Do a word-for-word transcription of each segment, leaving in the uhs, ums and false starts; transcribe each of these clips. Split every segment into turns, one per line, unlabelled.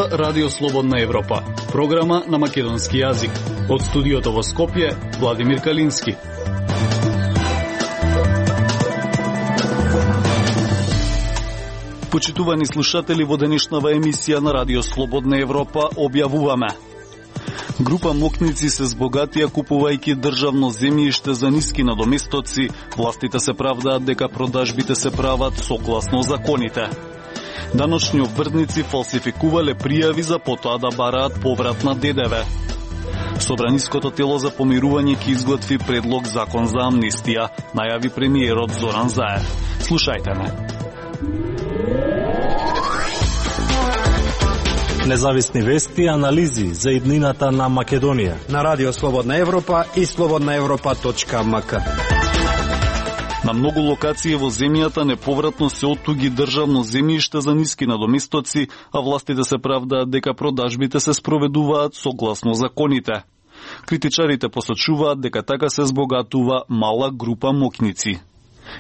зборува Радио Слободна Европа, програма на македонски јазик. Од студиото во Скопје, Владимир Калински. Почитувани слушатели, во денешнава емисија на Радио Слободна Европа објавуваме: група мокници се збогатија купувајќи државно земјиште за ниски надоместоци, властите се правдаат дека продажбите се прават согласно законите. Даночни обвртници фалсификувале пријави за потоа да бараат поврат на ДДВ. Собраниското тело за помирување ќе изготви предлог закон за амнистија, најави премиерот Зоран Заев. Слушајте ме.
Независни вести и анализи за иднината на Македонија
на Радио Слободна Европа и слободна европа точка ем ка.
На многу локации во земјата неповратно се оттуги државно земјиште за ниски надоместоци, а властите се правдаат дека продажбите се спроведуваат согласно законите. Критичарите посочуваат дека така се збогатува мала група мокници.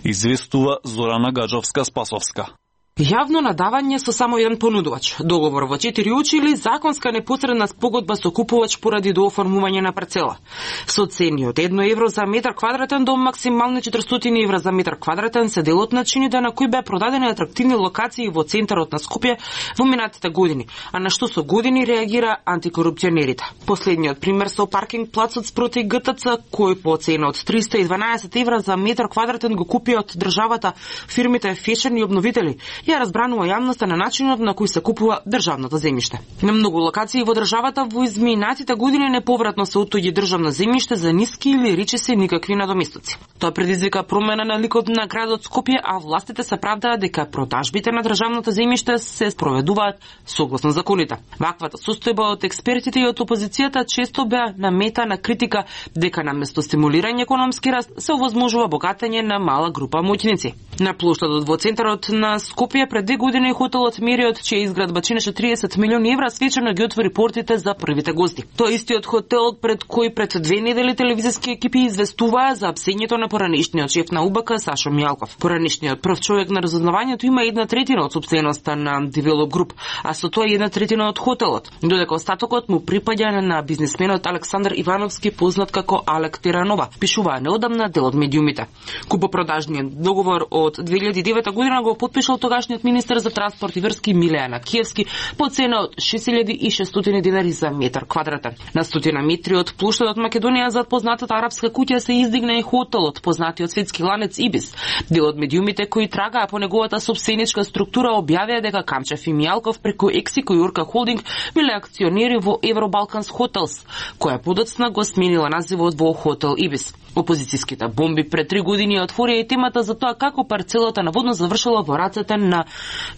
Известува Зорана Гаджовска-Спасовска.
Јавно надавање со само еден понудувач, договор во четири очи или законска непосредна спогодба со купувач поради дооформување на парцела. Со цени од едно евро за метар квадратен до максимални четиристотини евра за метар квадратен се дел од начините на кои беа продадени атрактивни локации во центарот на Скопје во минатите години, а на што со години реагира антикорупционерите. Последниот пример со паркинг плацот спроти ГТЦ, кој по цена од триста и дванаесет евра за метар квадратен го купи од државата фирмите Фешен и обновители, ја разбранува јавноста на начинот на кој се купува државното земјиште. На многу локации во државата во изминатите години неповратно се оттуѓи државно земјиште за ниски или речиси никакви надоместоци. Тоа предизвика промена на ликот на градот Скопје, а властите се правдаат дека продажбите на државното земјиште се спроведуваат согласно законите. Ваквата состојба од експертите и од опозицијата често беа намета на критика дека наместо стимулирање економски раст се овозможува богатење на мала група моќници. На плоштадот во центарот на Скопје пред две години хотелот Мериот, чија изградба чинеше триесет милиони евра, свечено ги отвори портите за првите гости. Тоа истиот хотел пред кој пред две недели телевизиски екипи известуваа за апсењето на поранешниот шеф на УБК Сашо Мијалков. Поранешниот прв човек на разузнавањето има една третина од сопственоста на Девелоп Груп, а со тоа една третина од хотелот, додека остатокот му припаѓа на бизнисменот Александар Ивановски, познат како Алек Теранова, пишуваа неодамна дел од медиумите. Купопродажниот договор од две илјади и девета година го потпишал тогашниот министер за транспорт и врски Милејан Акиевски по цена од шест илјади и шестстотини денари за метар квадратен. На стотина метри од плоштадот Македонија зад познатата арапска куќа се издигна и хотелот, познатиот светски ланец Ибис. Дел од медиумите кои трагаа по неговата сопстеничка структура објавија дека Камчев и Мијалков преку Ексико и Урка Холдинг биле акционери во Евробалканс Хотелс, која подоцна го сменила називот во Хотел Ибис. Опозицијските бомби пред три години отворија и темата за тоа како парцелата наводно завршила во рацете на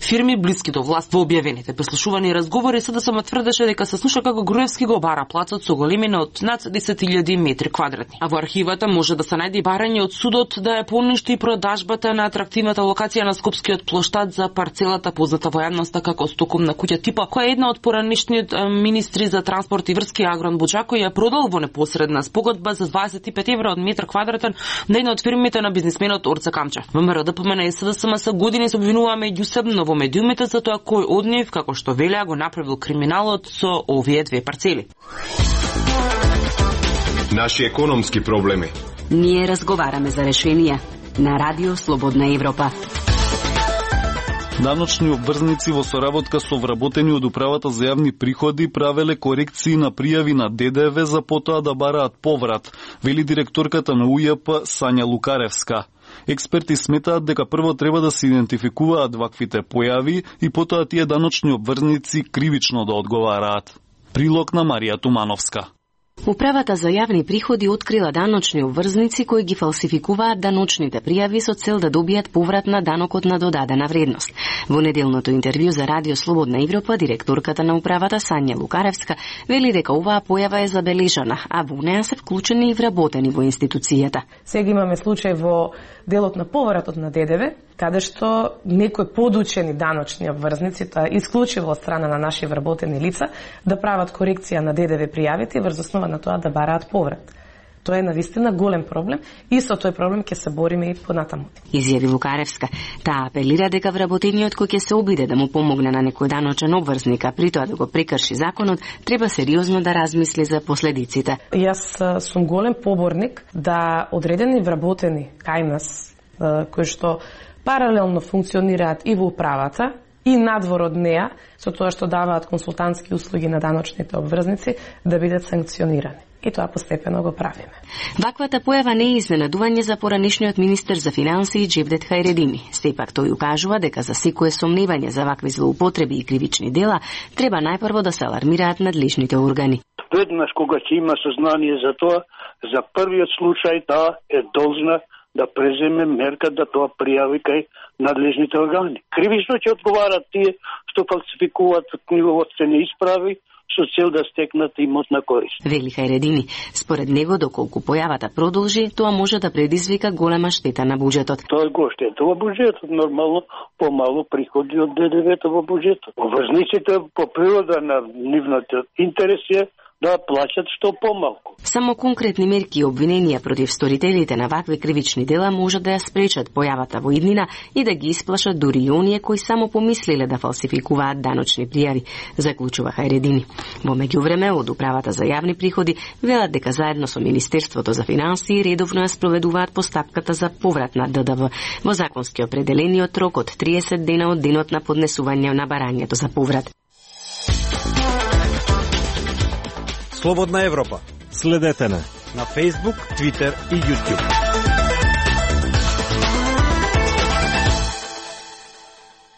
фирми блиски до власт. Во објавените преслушувани и разговори СДСМ тврдеше дека се слуша како Груевски го бара плацот со големина од над десет илјади метри квадратни. А во архивата може да се најде барање од судот да ја поништи продажбата на атрактивната локација на Скопскиот плоштад за парцелата позната во јавноста како стокомна куќа типа, која е една од поранешниот министри за транспорт и врски Агрон Буџако ја продал во непосредна спогодба за дваесет и пет евра од метар квадратен на една од фирмите на бизнисменот Орце Камчев. ВМРО, ДПМН и СДСМ се години се обвинуваа меѓусебно во медиумите за тоа кој од нив, како што велеа, го направил криминалот со овие две парцели.
Наши економски проблеми.
Ние разговараме за решенија на Радио Слободна Европа.
Даночни обврзници во соработка со вработени од Управата за јавни приходи правеле корекции на пријави на ДДВ за потоа да бараат поврат, вели директорката на УЈП Сања Лукаревска. Експерти сметаат дека прво треба да се идентификуваат ваквите појави и потоа тие даночни обврзници кривично да одговараат. Прилог на Марија Тумановска.
Управата за јавни приходи открила даночни обврзници кои ги фалсификуваат даночните пријави со цел да добијат поврат на данокот на додадена вредност. Во неделното интервју за Радио Слободна Европа, директорката на управата Сања Лукаревска вели дека оваа појава е забележана, а во неа се вклучени и вработени во институцијата.
Сега имаме случај во делот на повратот на ДДВ, каде што некои подучени даночни обврзници, тоа исклучиво од страна на наши вработени лица, да прават корекција на ДДВ пријавите врз основа на тоа да бараат поврат. Тоа е навистина голем проблем и со тој проблем ќе се бориме и понатаму.
Изјави Лукаревска. Таа апелира дека вработениот кој ќе се обиде да му помогне на некој даночен обврзник, а при тоа да го прекрши законот, треба сериозно да размисли за последиците.
Јас сум голем поборник да одредени вработени кај нас, кои што паралелно функционираат и во управата, и надвор од неа, со тоа што даваат консултантски услуги на даночните обврзници, да бидат санкционирани. И тоа постепено го правиме.
Ваквата појава не е изненадување за поранишниот министер за финансии Джевдет Хајредини. Сепак тој укажува дека за секое сомневање за вакви злоупотреби и кривични дела треба најпрво да се алармираат надлежните органи.
Веднаш кога ќе има сознание за тоа, за првиот случај таа е должна да преземе мерка да тоа пријави кај надлежните органи. Кривично ќе одговарат тие што фалсификуваат книговодстве неисправи со цел да стекнат имотна корист.
Вели Хајредини, според него доколку појавата продолжи, тоа може да предизвика голема штета на буџетот.
Тоа го штета во буџетот, нормално помалу приходи од Д Д В-то во буџетот. Обврзниците по природа на нивната интерес е да плаќат што помалку.
Само конкретни мерки и обвиненија против сторителите на вакви кривични дела можат да ја спречат појавата во иднина и да ги исплашат дури и оние кои само помислиле да фалсификуваат даночни пријави, заклучува Хајредини. Во меѓувреме, од Управата за јавни приходи велат дека заедно со Министерството за финансии редовно ја спроведуваат постапката за поврат на Д Д В во законски определениот рок од триесет дена од денот на поднесување на барањето за поврат.
Слободна Европа.
Следете на
на Facebook, Twitter и YouTube.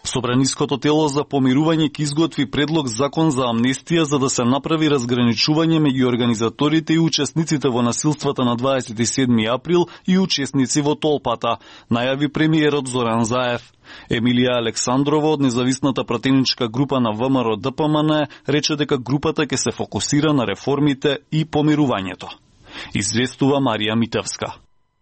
Собраниското тело за помирување ќе изготви предлог закон за амнестија за да се направи разграничување меѓу организаторите и учесниците во насилствата на дваесет и седми април и учесници во толпата, најави премиерот Зоран Заев. Емилија Александрова од независната пратеничка група на В М Р Д П М Н рече дека групата ќе се фокусира на реформите и помирувањето. Известува Марија Митевска.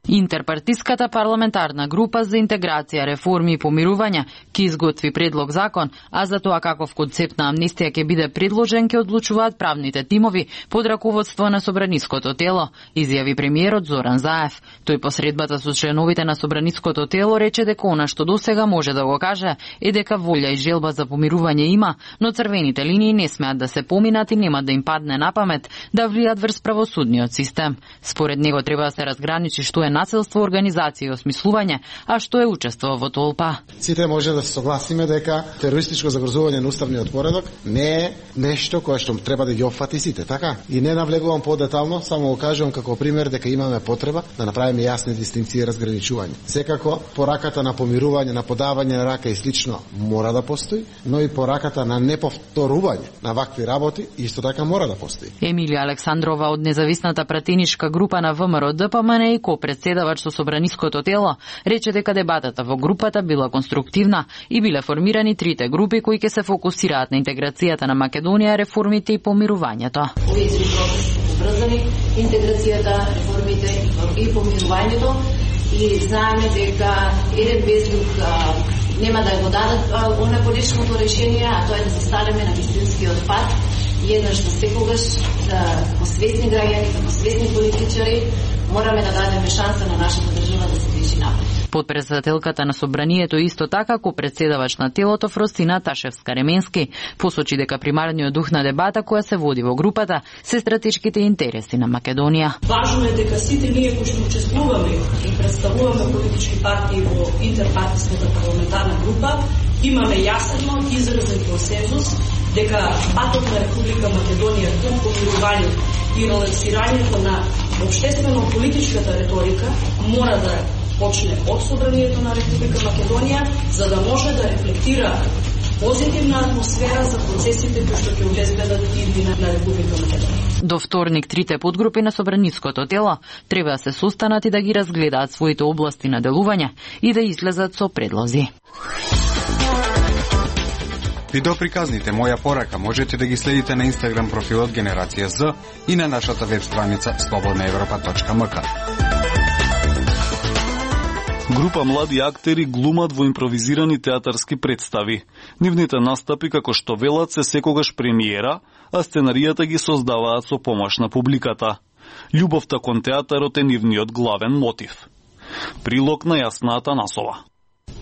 Интерпартиската парламентарна група за интеграција, реформи и помирување ќе изготви предлог закон, а за тоа каков концепт на амнестија ќе биде предложен ќе одлучуваат правните тимови под раководство на собраниското тело, изјави премиерот Зоран Заев. Тој по средбата со членовите на собраниското тело рече дека она што досега може да го каже е дека волја и желба за помирување има, но црвените линии не смеат да се поминат и нема да им падне на памет да влијат врз правосудниот систем. Според него треба да се разграничи што е насилство, организација и осмислување, а што е учество во толпа.
Сите може да се согласиме дека терористичко загрозување на уставниот поредок не е нешто кое што треба да ги опфати сите, така? И не навлегувам подетално, само го кажувам како пример дека имаме потреба да направиме јасни дистинкции и разграничување. Секако пораката на помирување, на подавање на рака и слично мора да постои, но и пораката на неповторување на вакви работи исто така мора да постои.
Емилија Александрова од независната пратеничка група на В М Р Д П М Н и ко-председавач со собраниското тело, рече дека дебатата во групата била конструктивна и биле формирани трите групи кои ќе се фокусираат на интеграцијата на Македонија, реформите и помирувањето.
Овие три групи врзани интеграцијата, реформите и помирувањето и знаеме дека еден без друг нема да го дадат она конечното решение, а тоа е да застанеме на вистинскиот пат и еднаш за секогаш да посвесни граѓани, да посвесни политичари мораме да дадеме шанса на нашата држава да се движи напред.
Подпредседателката на собранието исто така ко председавач на телото Фростина Ташевска-Ременски посочи дека примарниот дух на дебата која се води во групата се стратешките интереси на Македонија.
Важно е дека сите ние кои што учествуваме и представуваме политички партии во интерпартиската парламентарна група имаме јасен изразен консензус дека патот на Република Македонија кон помирување и релаксирањето на општествено-политичката реторика мора да почне од собранието на Република Македонија, за да може да рефлектира позитивна атмосфера за процесите кои што ќе обезбедат иднина на Република Македонија.
До вторник трите подгрупи на собраниското тело треба да се состанат и да ги разгледаат своите области на делување и да излезат со предлози.
Видеоприказните Моја порака можете да ги следите на Инстаграм профилот Генерација З и на нашата веб страница слободна европа точка м к.
Група млади актери глумат во импровизирани театарски представи. Нивните настапи, како што велат, се секогаш премиера, а сценаријата ги создаваат со помош на публиката. Љубовта кон театарот е нивниот главен мотив. Прилог на Јасна Насова.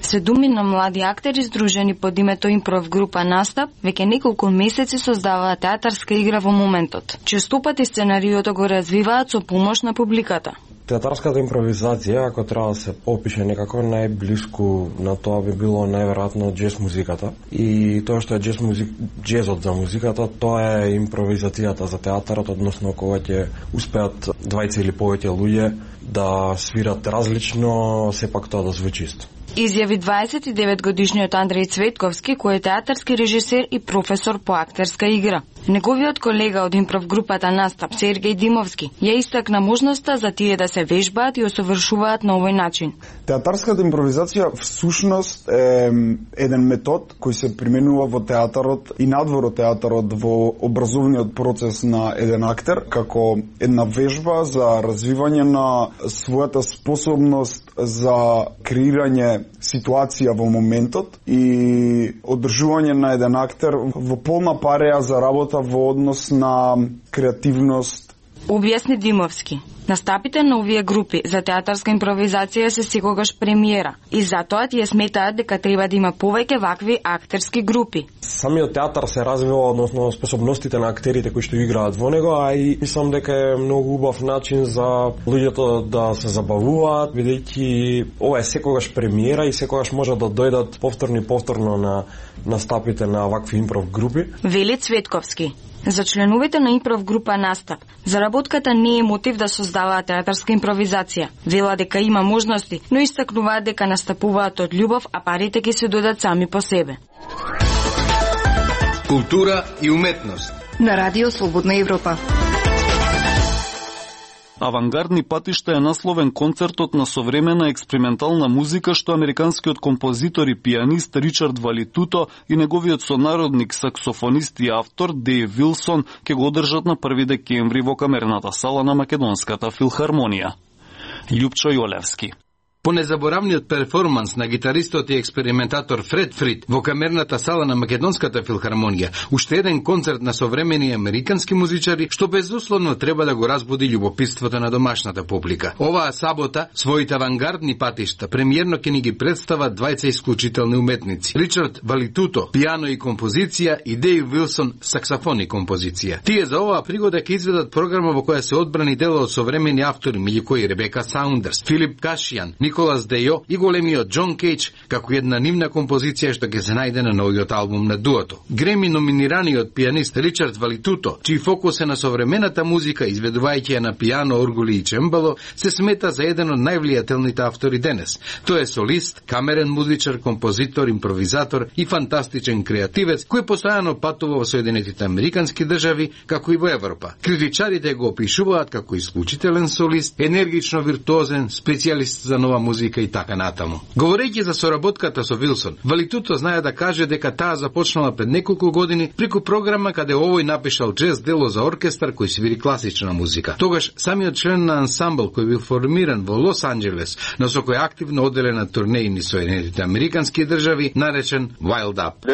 Седумина млади актери здружени под името Импров група Настап веќе неколку месеци создаваат театарска игра во моментот. Честопати сценариото го развиваат со помош на публиката.
Театарската импровизација, ако треба да се опише некако, најблиску на тоа би било најверојатно џез музиката. И тоа што е џез музик, џезот за музиката, тоа е импровизацијата за театарот, односно кога ќе успеат двајца или повеќе луѓе да свират различно, сепак тоа да звучи исто.
Изјави дваесет и девет годишниот Андреј Цветковски, кој е театарски режисер и професор по актерска игра. Неговиот колега од импров групата Настап, Сергеј Димовски, ја истакна можноста за тие да се вежбаат и осовршуваат на овој начин.
Театарската импровизација всушност е еден метод кој се применува во театарот и надвор од театарот во образовниот процес на еден актер, како една вежба за развивање на својата способност за креирање ситуација во моментот и одржување на еден актер во полна пареја за работа во однос на креативност.
Објасни Димовски. Настапите на овие групи за театарска импровизација се секогаш премиера и затоа тие сметаат дека треба да има повеќе вакви актерски групи.
Самиот театар се развива, односно способностите на актерите кои што играат во него, а и мислам дека е многу убав начин за луѓето да се забавуваат, бидејќи ова е секогаш премиера и секогаш може да дојдат повторно и повторно на настапите на вакви импров групи.
Вели Цветковски. За членовите на импров група Настап, заработката не е мотив да создаваат театарска импровизација. Вела дека има можности, но истакнуваат дека настапуваат од љубов, а парите ќе се додат сами по себе.
Култура и уметност.
На Радио Слободна Европа.
Авангардни патишта е насловен концертот на современа експериментална музика што американскиот композитор и пианист Ричард Валитуто и неговиот сонародник саксофонист и автор Дејв Вилсон ќе го одржат на први декември во камерната сала на Македонската филхармонија. Љупчо Јолевски.
По незаборавниот перформанс на гитаристот и експериментатор Фред Фрид во камерната сала на Македонската филхармонија, уште еден концерт на современи американски музичари што безусловно треба да го разбуди љубопитството на домашната публика. Оваа сабота своите авангардни патишта премиерно ќе ни ги представат двајца исклучителни уметници: Ричард Валитуто, пијано и композиција, и Дејв Вилсон, саксофон и композиција. Тие за оваа пригода ќе изведат програма во која се одбрани дела од современи автори, меѓу кои Ребека Саундерс, Филип Кашијан, Николас Дејо и големиот Џон Кейдж, како една нивна композиција што ќе се најде на новиот албум на дуото. Греми номинираниот пианист Ричард Валитуто, чиј фокус е на современата музика, изведувајќи ја на пијано, оргули и чембало, се смета за еден од највлијателните автори денес. Тој е солист, камерен музичар, композитор, импровизатор и фантастичен креативец кој постојано патува во Соединетите Американски држави, како и во Европа. Критичарите го опишуваат како исклучителен солист, енергично виртуозен, специјалист за нова музика и така натаму. Говорејќи за соработката со Вилсон, Валитуто знае да каже дека таа започнала пред неколку години преку програма каде овој напишал џез дело за оркестар кој свири класична музика. Тогаш самиот член на ансамбл кој бил формиран во Лос Анџелес, но со кој активно оделе на турнеи низ Соединетите Американски држави, наречен Wild Up.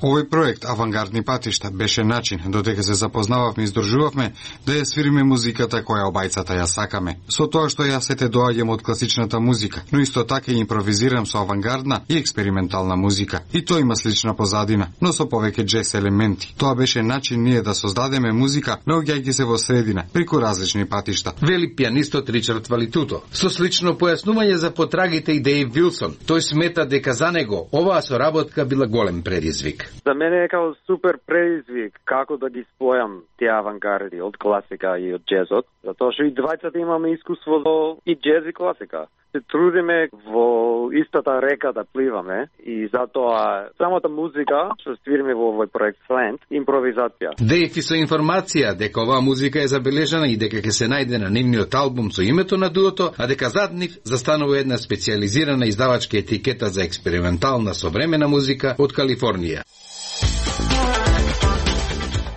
Овој проект Авангардни патишта беше начин додека се запознававме и издржувавме да ја свириме музиката која обајцата ја сакаме. Со тоа што ја сете доаѓам од класичната музика, но исто така и импровизирам со авангардна и експериментална музика. И тоа има слична позадина, но со повеќе џез елементи. Тоа беше начин ние да создадеме музика, наоѓајќи се во средина, преку различни патишта.
Вели пианистот Ричард Валитуто. Со слично појаснување за потрагите и Дејв Вилсон, тој смета дека за него оваа соработка била голем предизвик.
За мене е као супер предизвик како да ги спојам тие авангарди од класика и од џезот, затоа што и двајцата имаме искуство во и џез и класика. Се трудиме во истата река да пливаме и затоа самата музика што свириме во овој проект Slant, импровизација.
Дејв и со информација дека оваа музика е забележана и дека ќе се најде на нивниот албум со името на дуото, а дека зад нив застанува една специјализирана издавачка етикета за експериментална современа музика од Калифорнија.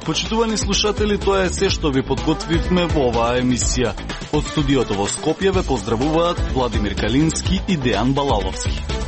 Почитувани слушатели, тоа е се што ви подготвивме во оваа емисија. Од студиото во Скопје ве поздравуваат Владимир Калински и Дејан Балаловски.